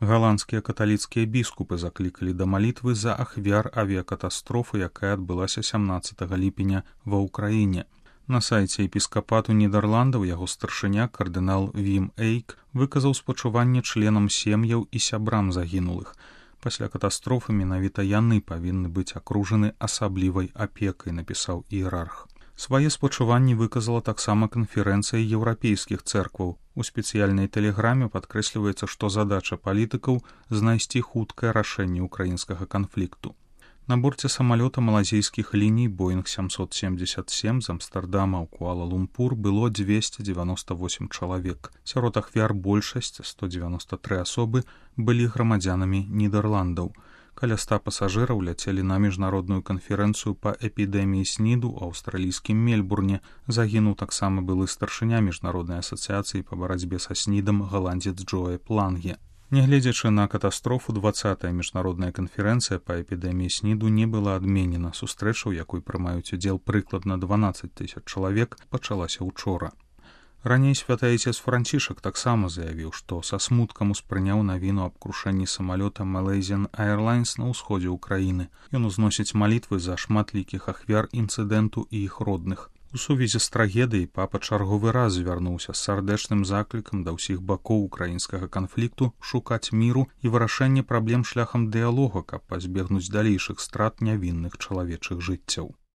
Галандскія каталіцкія біскупы заклікалі да малітвы за ахвяр авіякатастрофы, якая адбылася 17 ліпеня ва ўкраіне. На сайце епіскапату Нідерландаў яго старшыня кардынал Вім Эйк выказаў спачуванне членам сем'яў і сябрам загінулых. Пасля катастрофы менавіта яны павінны быць акружаны асаблівай апекай, напісаў іерарх. Свае спачуванні выказала таксама канферэнцыя еўрапейскіх цэркваў. У спецыяльнай тэлеграме падкрэсліваецца, што задача палітыкаў знайсці хуткае рашэнне ўкраінскага канфлікту. На борце самалёта малазійскіх ліній Боінг 777 з Амстардама ў Куала-Лумпур было 298 чалавек. Сярод ахвяр большасць, 193 асобы, былі грамадзянамі Нідерландаў. Каля 100 пасажыраў ляцелі на міжнародную канферэнцыю па эпідэміі СНІДу ў аўстралійскім Мельбурне. Загінуў таксама былы старшыня міжнароднай асацыяцыі па барацьбе са СНІДам галандзец Джоэп Ланге. Нягледзячы на катастрофу, 20-я міжнародная канферэнцыя па эпідэміі СНІДу не была адменена. Сустрэча, у якой прымаюць удзел прыкладна 12 000 чалавек, пачалася ўчора. Раней святаіцец Францішак таксама заявіў, што са смуткам успрыняў навіну аб крушэнні самалёта Malaysian Airlines на ўсходзе ўкраіны. Ён узносіць малітвы за шматлікіх ахвяр інцыдэнту і іх родных. У сувязі з трагедыяй папа чарговы раз звярнуўся з сардэчным заклікам да ўсіх бакоў украінскага канфлікту шукаць міру і вырашэнне праблем шляхам дыялога, каб пазбегнуць далейшых страт нявінных чалавечых жыццяў.